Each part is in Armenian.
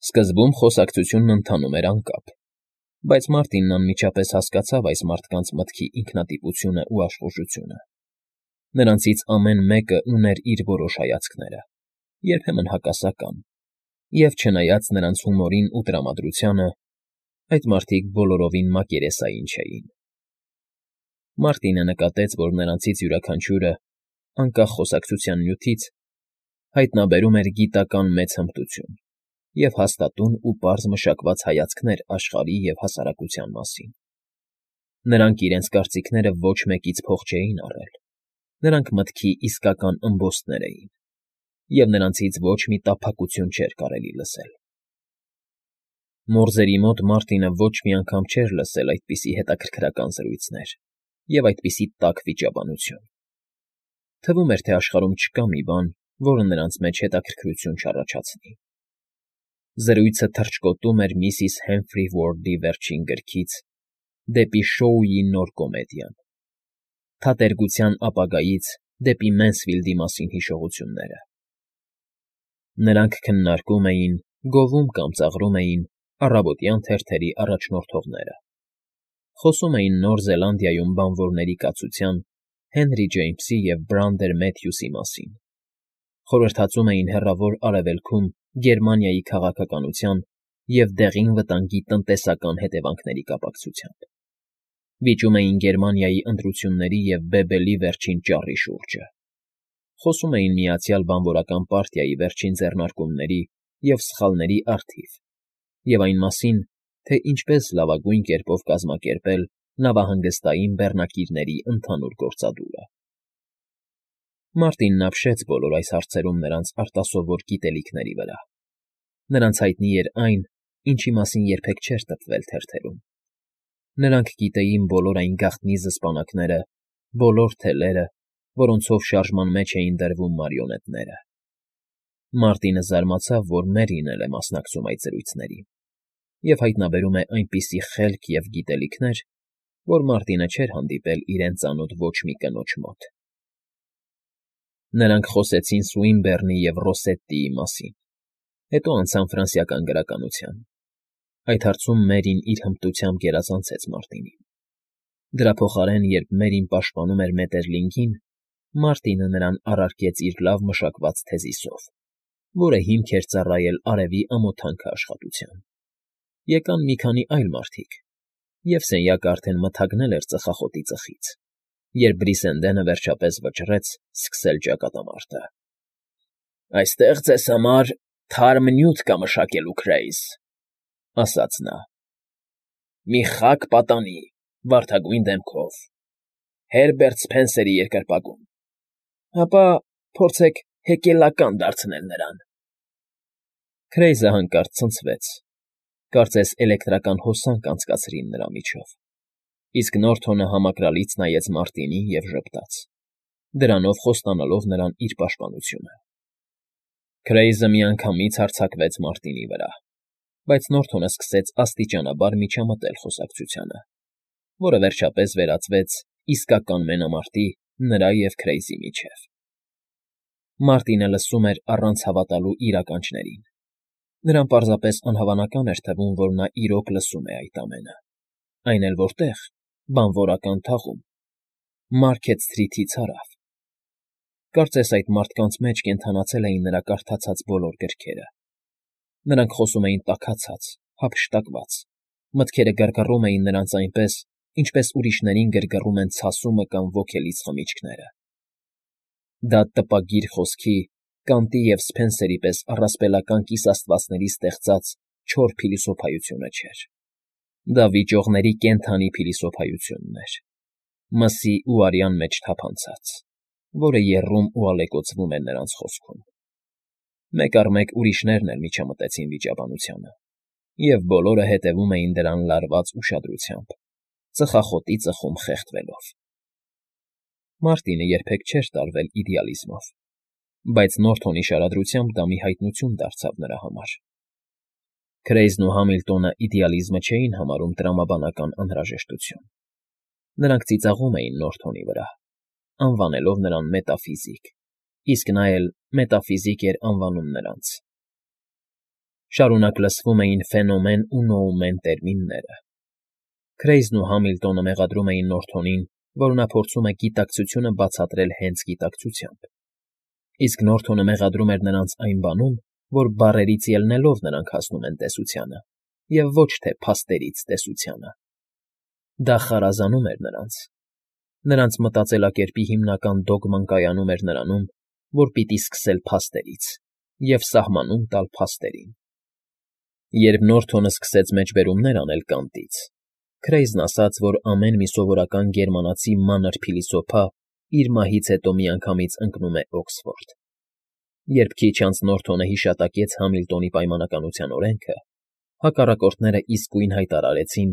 Սկզբում խոսակցությունն ընթանում էր անկապ, բայց Մարտինն անմիջապես հասկացավ այս մարդկանց մտքի ինքնատիպությունն ու աշխուժությունը. նրանցից ամեն մեկը ուներ իր որոշ հայացքները, երբեմն հակասական, և չնայած նրանց հումորին ու տրամադրությանը, այդ մարդիկ բոլորովին մակերեսային չէին։ Մարտինը նկատեց, որ նրանցից յուրաքանչյուրը, անկախ խոսակցության նյութից, հայտնաբերում էր գիտական մեծ հմտություն և հաստատուն ու պարզ մշակված հայացքներ աշխարհի և հասարակության մասին։ Նրանք իրենց կարծիքները ոչ մեկից փող չէին առել, նրանք մտքի իսկական ըմբոստներ էին, և նրանցից ոչ մի տափակություն չէր կարելի լսել։ Մորզերի մոտ Մարտինը ոչ մի անգամ չէր լսել այդպիսի հետաքրքրական զրույցներ և այդպիսի տաք վիճաբանություն։ Թվում էր, թե աշխարհում չկա մի բան, որը նրանց մեջ հետաքրքրություն չառաջացնի։ Զրույցը թռչկոտում էր միսիս Հեմֆրի Ուորդի վերջին գրքից դեպի Շոուի նոր կոմեդիան, թատերգության ապագայից դեպի Մենսֆիլդի մասին հիշողությունները։ Նրանք քննարկում էին, գովում կամ ծաղրում էին առավոտյան թերթերի առաջնորդողները, խոսում էին Նոր Զելանդիայում բանվորների կացության, Հենրի Ջեյմսի և Բրանդեր Մեթյուսի մասին, խորհրդածում էին Հեռավոր Արևելքում Գերմանիայի քաղաքականության և դեղին վտանգի տնտեսական հետևանքների կապակցությամբ, վիճում էին Գերմանիայի ընտրությունների և Բեբելի վերջին ճառի շուրջը, խոսում էին Միացյալ Բանվորական պարտիայի վերջին ձեռնարկումների և սխալների առթիվ և այն մասին, թե ինչպես լավագույն կերպով կազմակերպել նավահանգստային բեռնակիրների ընդհանուր գործադուլը։ Մարտինն ապշեց բոլոր այս հարցերում նրանց արտասովոր գիտելիքների վրա։ Նրանց հայտնի էր այն, ինչի մասին երբեք չէր տպվել թերթերում։ Նրանք գիտեին բոլոր այն գաղտնի զսպանակները, բոլոր թելերը, որոնցով շարժման մեջ էին դրվում մարիոնետները։ Մարտինը զարմացավ, որ Մերրին էլ է մասնակցում այդ զրույցներին, և հայտնաբերում է այնպիսի խելք և գիտելիքներ, որ Մարտինը չէր հանդիպել իրեն ծանոթ ոչ մի կնոջ մոտ։ Նրանք խոսեցին Սուինբեռնի և Ռոսետտիի մասին, հետո անցան ֆրանսիական գրականության։ Այդ հարցում Մերրին իր հմտությամբ գերազանցեց Մարտինին։ Դրա փոխարեն, երբ Մերրին պաշտպանում էր Մետերլինգին, Մարտինը նրան առարկեց իր լավ մշակված թեզիսով, որը հիմք էր ծառայել արևի ամոթանքը աշխատության։ Եկան մի քանի այլ մարդիկ, և սենյակը արդեն մթագնել էր ծխախոտի ծխից, երբ Բրիսենդենը վերջապես վճռեց սկսել ճակատամարտը։ ֊ Այստեղ ձեզ համար թարմ նյութ կա մշակելու, Քրեյզ,֊ ասաց նա,֊ մի խաք պատանի, վարդագույն դեմքով, Հերբերտ Սփենսերի երկրպագում, ապա փորձեք հեկելական դարձնել նրան։ Քրեյզը հանկարծ ցնցվեց, կարծես էլեկտրական հոսանք անցկացրին նրա միջով, իսկ Նորթոնը համակրալից նայեց Մարտինին և ժպտաց, դրանով խոստանալով նրան իր պաշտպանությունը։ Քրեյզը միանգամից հարձակվեց Մարտինի վրա, բայց Նորթոնը սկսեց աստիճանաբար միջամտել խոսակցությանը, որը վերջապես վերածվեց իսկական մենամարտի նրա և Քրեյզի միջև։ Մարտինը լսում էր առանց հավատալու իր ականջներին։ Նրան պարզապես անհավանական էր թվում, որ նա իրոք լսում է այդ ամենը, այն էլ որտեղ, բանվորական թաղում, Մարքեթ Սթրիթից հարավ։ Կարծես այդ մարդկանց մեջ կենդանացել էին նրա կարդացած բոլոր գրքերը։ Նրանք խոսում էին տաքացած, հափշտակված, մտքերը գրգռում էին նրանց այնպես, ինչպես ուրիշներին գրգռում են ցասումը կամ ոգելից խմիչքները։ Դա տպագիր խոսքի, Կանտի և Սփենսերի պես առասպելական կիսաստվածների ստեղծած չոր փիլիսոփայությունը չէր։ Դա վիճողների կենդանի փիլիսոփայությունն էր, մսի ու արյան մեջ թափանցած, որը եռում ու ալեկոծվում էր նրանց խոսքում։ Մեկ առ մեկ ուրիշներն էլ միջամտեցին վիճաբանությանը, և բոլորը հետևում էին դրան լարված ուշադրությամբ, ծխախոտի ծխում խեղդվելով։ Մարտինը երբեք չէր տարվել իդեալիզմով, բայց Նորթոնի շարադրությամբ դա մի հայտնություն դարձավ նրա համար։ Քրեյզն ու Համիլտոնը իդեալիզմը չէին համարում տրամաբանական անհրաժեշտություն։ Նրանք ծիծաղում էին Նորթոնի վրա, անվանելով նրան մետաֆիզիկ, իսկ նա էլ մետաֆիզիկ էր անվանում նրանց։ Շարունակ լսվում էին ֆենոմեն ու նոումեն տերմինները։ Քրեյզն ու Համիլտոնը մեղադրում էին Նորթոնին, որ նա փորձում է գիտակցությունը բացատրել հենց գիտակցությամբ, իսկ Նորթոնը մեղադրում էր նրանց այն բանում, որ բառերից ելնելով նրանք հասնում են տեսությանը, և ոչ թե փաստերից տեսությանը։ Դա խարազանում էր նրանց։ Նրանց մտածելակերպի հիմնական դոգման կայանում էր նրանում, որ պիտի սկսել փաստերից և սահմանում տալ փաստերին։ Երբ Նորթոնը սկսեց մեջբերումներ անել Կանտից, Քրեյզն ասաց, որ ամեն մի սովորական գերմանացի մանր փիլիսոփա իր մահից հետո միանգամից ընկնում է Օքսֆորդ։ Երբ քիչ անց Նորթոնը հիշատակեց Համիլտոնի պայմանականության օրենքը, հակառակորդները իսկույն հայտարարեցին,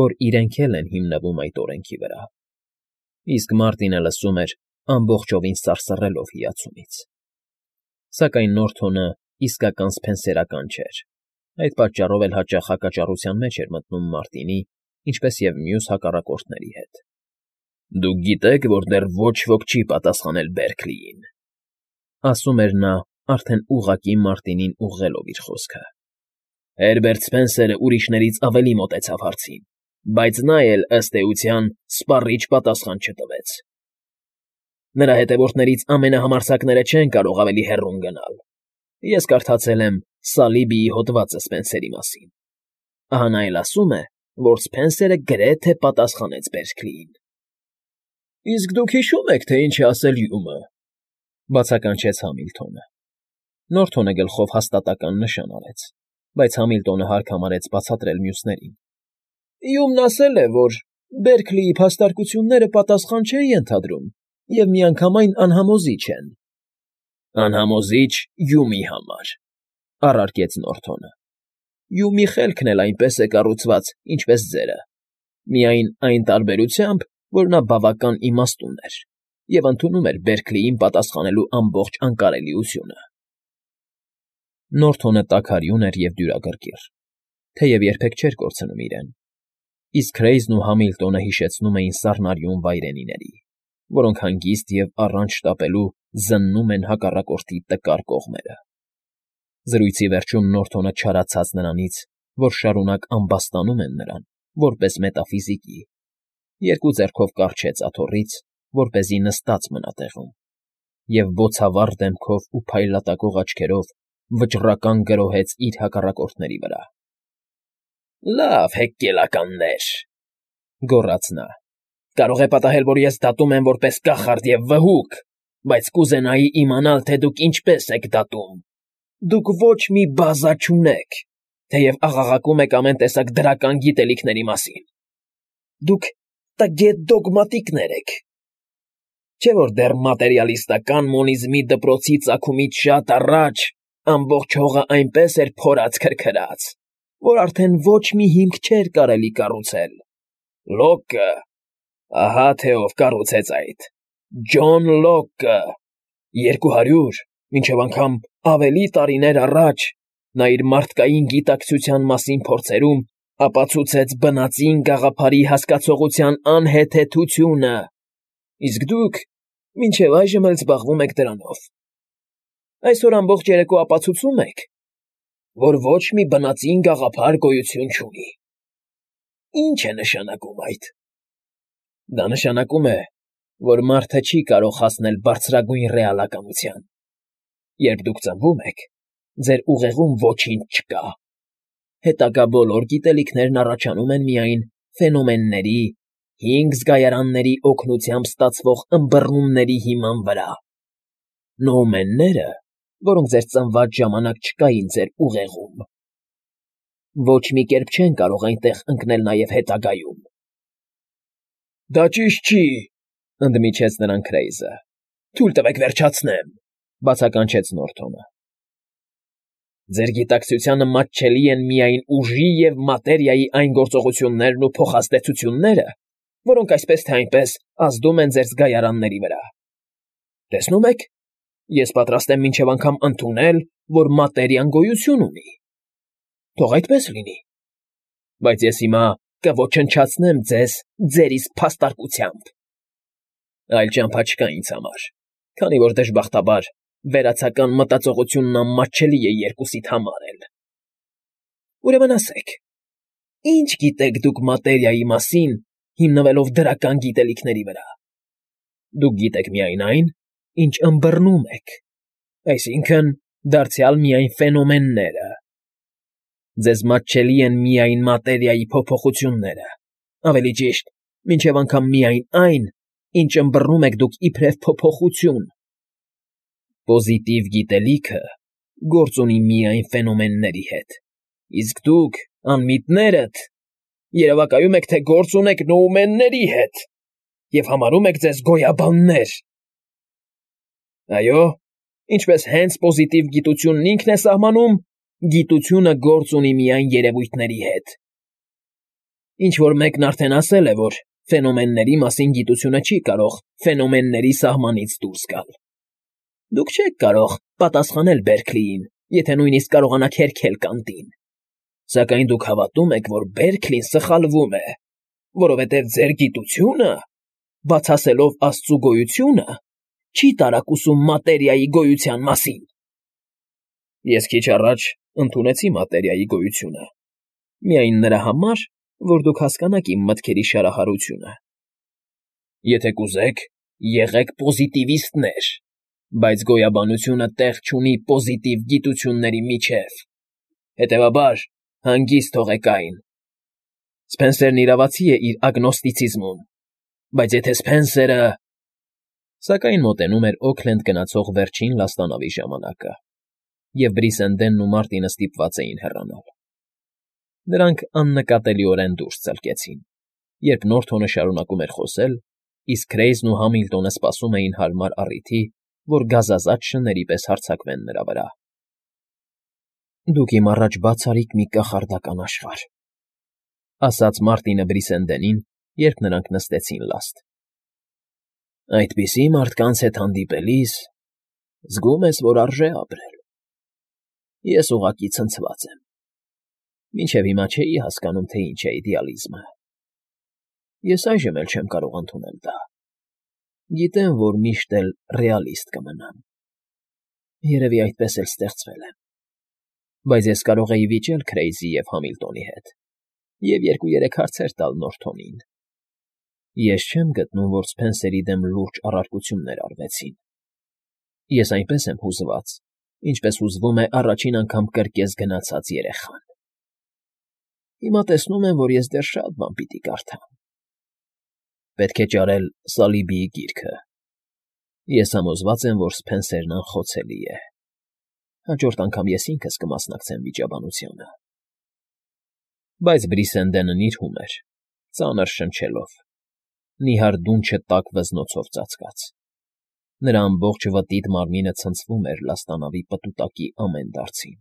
որ իրենք էլ են հիմնվում այդ օրենքի վրա։ Իսկ Մարտինը լսում էր, ամբողջովին սարսռելով հիացումից։ Սակայն Նորթոնը իսկական սփենսերական չէր, այդ պատճառով էլ հաճախ հակաճառության մեջ էր մտնում Մարտինի, ինչպես և մյուս հակառակորդների հետ։ «Դուք գիտեք, որ դեռ ոչ ոք չի պատասխանել Բերքլիին», ասում էր նա, արդեն ուղղակի Մարտինին ուղղելով իր խոսքը։ «Հերբերտ Սպենսերը ուրիշներից ավելի մոտեցավ հարցին, բայց նա էլ, ըստ էության, սպառիչ պատասխան չտվեց։ Նրա հետևորդներից ամենահամարձակները չեն կարող ավելի հեռուն գնալ։ Ես կարդացել եմ Սալիբիի հոդվածը Սպենսերի մասին։ Ահա նա էլ ասում է, որ Սփենսերը գրեթե պատասխանեց Բերքլիին»։ «Իսկ դուք հիշո՞ւմ եք, թե ինչ է ասել Հյումը», բացականչեց Համիլտոնը։ Նորթոնը գլխով հաստատական նշան արեց, բայց Համիլտոնը հարկ համարեց բացատրել մյուսներին։ «Հյումն ասել է, որ Բերքլիի փաստարկությունները պատասխան չեն ենթադրում և միանգամայն անհամոզիչ են»։ «Անհամոզիչ Հյումի համար», առարկեց Նորթոնը։ «Հյումի խելքն էլ այնպես է կառուցված, ինչպես ձերը, միայն այն տարբերությամբ, որ նա բավական իմաստուն էր և ընդունում էր Բերքլիին պատասխանելու ամբողջ անկարելիությունը»։ Նորթոնը տաքարյուն էր և դյուրագրգիռ, թեև երբեք չէր կորցնում իրեն, իսկ Քրեյզն ու Համիլտոնը հիշեցնում էին սառնարյուն վայրենիների, որոնք հանգիստ և առանց շտապելու զննում են հակառակորդի տկար կողմերը։ Զրույցի վերջում Նորթոնը չարացած նրանից, որ շարունակ ամբաստանում են նրան, որպես մետաֆիզիկի, երկու ձեռքով կառչեց աթոռից, որպեսզի նստած մնա տեղում, և բոցավառ դեմքով ու փայլատակող աչքերով վճռական գրոհեց իր հակառակորդների վրա։ «Լավ, հեգկելականներ», գոռաց նա, «կարող է պատահել, որ ես դատում եմ որպես կախարդ և վհուկ, բայց կուզենայի իմանալ, թե դուք ինչպես եք դատում։ Դուք ոչ մի բազա չունեք, թեև աղաղակում եք ամեն տեսակ դրական գիտելիքների մասին։ Դուք տգետ դոգմատիկներ եք։ Չէ՞ որ դեռ մատերիալիստական մոնիզմի դպրոցի ծագումից շատ առաջ ամբողջ հողը այնպես էր փորած֊քրքրած, որ արդեն ոչ մի հիմք չէր կարելի կառուցել։ Լոկը, ահա թե ով կառուցեց այդ, Ջոն Լոկը, 200, մինչև անգամ ավելի տարիներ առաջ նա իր մարդկային գիտակցության մասին փորձերում ապացուցեց բնածին գաղափարի հասկացողության անհեթեթությունը, իսկ դուք մինչև այժմ էլ զբաղվում եք դրանով։ Այսօր ամբողջ երեկո ապացուցում եք, որ ոչ մի բնածին գաղափար գոյություն չունի։ Ի՞նչ է նշանակում այդ։ Դա նշանակում է, որ մարդը չի կարող հասնել բարձրագույն ռեալականության։ Երբ դուք ծնվում եք, ձեր ուղեղում ոչինչ չկա։ Հետագա բոլոր գիտելիքներն առաջանում են միայն ֆենոմենների, 5 զգայարանների օգնությամբ ստացվող ըմբռնումների հիման վրա։ Նոումենները, որոնք ձեր ծնված ժամանակ չկային ձեր ուղեղում, ոչ մի կերպ չեն կարող այնտեղ ընկնել նաև հետագայում։ Դա ճիշտ չի, ընդմիջեց նրան Քրեյզը։ Թույլ տվեք վերջացնեմ, բացականչեց Նորթոնը։ Ձեր գիտակցությանը մատչելի են միայն ուժի և մատերիայի այն գործողություններն ու փոխազդեցությունները, որոնք այսպես թե այնպես ազդում են ձեր զգայարանների վրա։ Տեսնում եք, ես պատրաստ եմ մինչև անգամ ընդունել, որ մատերիան գոյություն ունի։ Թող այդպես լինի։ Բայց ես հիմա կոչնչացնեմ ձեզ ձեր իսկ փաստարկությամբ։ Այլ ճամփա չկա ինձ համար, քանի որ դժբախտաբար վերացական մտածողությունն անմատչելի է երկուսիդ համար էլ։ Ուրեմն ասեք, ի՞նչ գիտեք դուք մատերիայի մասին, հիմնվելով դրական գիտելիքների վրա։ Դուք գիտեք միայն այն, ինչ ըմբռնում եք, այսինքն՝ դարձյալ միայն ֆենոմենները։ Ձեզ մատչելի են միայն մատերիայի փոփոխությունները, ավելի ճիշտ, մինչև անգամ միայն այն, ինչ ըմբռնում եք դուք իբրև փոփոխություն։ Պոզիտիվ գիտելիքը գործ ունի միայն ֆենոմենների հետ, իսկ դուք, անմիտներդ, երևակայում եք, թե գործ ունեք նոումենների հետ և համարում եք ձեզ գոյաբաններ։ Այո, ինչպես հենց պոզիտիվ գիտությունն ինքն է սահմանում, գիտությունը գործ ունի միայն երևույթների հետ։ Ինչ-որ մեկն արդեն ասել է, որ ֆենոմենների մասին գիտությունը չի կարող ֆենոմենների սահմանից դուրս գալ։ Դուք չեք կարող պատասխանել Բերքլիին, եթե նույնիսկ կարողանաք հերքել Կանտին։ Սակայն դուք հավատում եք, որ Բերքլին սխալվում է, որովհետև ձեր գիտությունը, բացասելով Աստծու գոյությունը, չի տարակուսում մատերիայի գոյության մասին։ Ես քիչ առաջ ընդունեցի մատերիայի գոյությունը, միայն նրա համար, որ դուք հասկանաք իմ մտքերի շարահարությունը։ Եթե կուզեք, եղեք պոզիտիվիստներ, բայց գոյաբանությունը տեղ չունի պոզիտիվ գիտությունների միջև։ Հետևաբար, հանգիստ թողեք այն։ Սփենսերն իրավացի է իր ագնոստիցիզմում, բայց եթե Սփենսերը… Սակայն մոտենում էր Օքլենդ գնացող վերջին լաստանավի ժամանակը, և Բրիսենդենն ու Մարտինը ստիպված էին հեռանալ։ Նրանք աննկատելիորեն դուրս ծլկեցին, երբ Նորթոնը շարունակում էր խոսել, իսկ Քրեյզն ու Համիլտոնը սպասում էին հարմար առիթի, որ գազազած շների պես հարձակվեն նրա վրա։ «Դուք իմ առաջ բացառիկ մի կախարդական աշխարհ», ասաց Մարտինը Բրիսենդենին, երբ նրանք նստեցին լաստ։ «Այդպիսի մարդկանց հետ հանդիպելիս զգում ես, որ արժե ապրել։ Ես ուղղակի ցնցված եմ։ Մինչև հիմա չէի հասկանում, թե ինչ է իդեալիզմը։ Ես այժմ էլ չեմ կարող ընդունել դա։ Գիտեմ, որ միշտ էլ ռեալիստ կմնամ։ Երևի այդպես էլ ստեղծվել եմ։ Բայց ես կարող էի վիճել Քրեյզի և Համիլտոնի հետ և 2-3 հարցեր տալ Նորթոնին։ Ես չեմ գտնում, որ Սփենսերի դեմ լուրջ առարկություններ արվեցին։ Ես այնպես եմ հուզված, ինչպես հուզվում է առաջին անգամ կրկես գնացած երեխան։ Հիմա տեսնում եմ, որ ես դեռ շատ բան պիտի կարդամ։ Պետք է ճարել Սալիբիի գիրքը։ Ես համոզված եմ, որ Սփենսերն անխոցելի է։ Հաջորդ անգամ ես ինքս կմասնակցեմ վիճաբանությանը։ Բայց Բրիսենդենը նիրհում էր, ծանր շնչելով։ Նիհար դունչը տաք վզնոցով ծածկած։ Նրա ամբողջ վտիտ մարմինը ցնցվում էր լաստանավի պտուտակի ամեն դարձին։